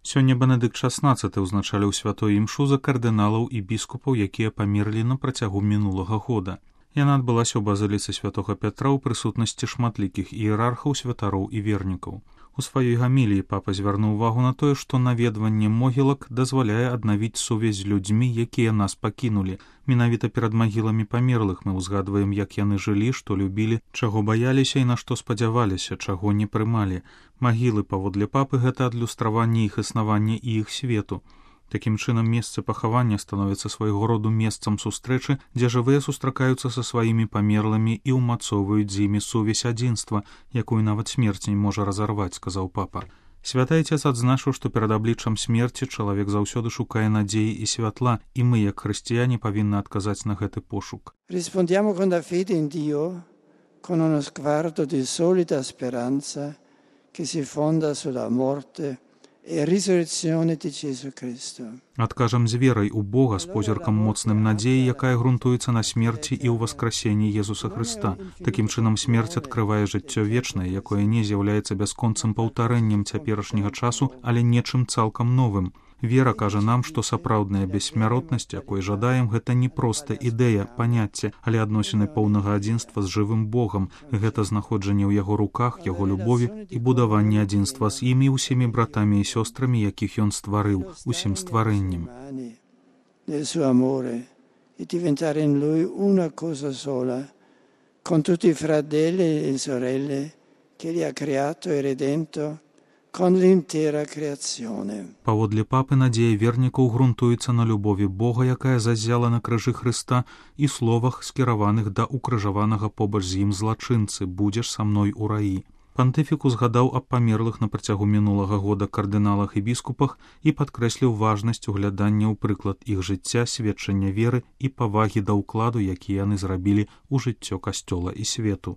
Сёння Бенедыкт XVI ўзначаліў святой імшу за кардыналаў і біскупаў, якія памерлі на працягу мінулага года. Яна адбылася ў базыліцы святога Пятра ў прысутнасці шматлікіх іерархаў, святароў і вернікаў. У сваёй гаміліі папа звярнуў увагу на тое, што наведванне могілак дазваляе аднавіць сувязь з людзьмі, якія нас пакінулі. Менавіта перад магіламі памерлых мы ўзгадваем, як яны жылі, што любілі, чаго баяліся і на што спадзяваліся, чаго не прымалі. Магілы, паводле папы, гэта адлюстраванне іх існавання і іх свету. Такім чынам, месцы пахавання становіцца свайго роду месцам сустрэчы, дзе жывыя сустракаюцца са сваімі памерлымі і ўмацоўваюць з імі сувязь адзінства, якую нават смерць не можа разарваць, сказаў папа. Святы Отец адзначыў, што перад абліччам смерці чалавек заўсёды шукае надзеі і святла, і мы, як хрысціяне, павінны адказаць на гэты пошук. Rispondiamo con la fede in Dio, con uno sguardo di solida speranza che si fonda sulla morte и резурекцыёне Ісуса Христа. Адкажам з верай у Бога, з позіркам моцным надзеі, якая грунтуецца на смерці і ў воскресенні Jesуса Христа. Такім чынам смерць адкрывае жыццё вечнае, якое не з'яўляецца бясконцым паўтарэннем цяперашняга часу, але нечым цалкам новым. Вера кажа нам, што сапраўдная бессмяротнасць, якой жадаем, гэта не проста ідэя, паняцце, але адносіны поўнага адзінства з жывым Богам. Гэта знаходжанне ў яго руках, яго любові і будаванне адзінства з імі усімі братамі і сёстрамі, якіх ён стварыў, усім стварэннем. Nel suo amore e diventare in lui una cosa sola, con tutti i fratelli e sorelle che li ha creato e redento, con l'intera creazione. Паводле папы надзея вернікаў грунтуецца на любові Бога, якая заззяла на крыжы Хрыста, і словах, скіраваных да укрыжаванага побач з ім злачынцы «Будзеш са мной у раі». Пантыфік узгадаў аб памерлых на працягу мінулага года кардыналах і біскупах і падкрэсліў важнасць углядання ў прыклад іх жыцця, сведчання веры і павагі да ўкладу, які яны зрабілі ў жыццё Касцёла і свету.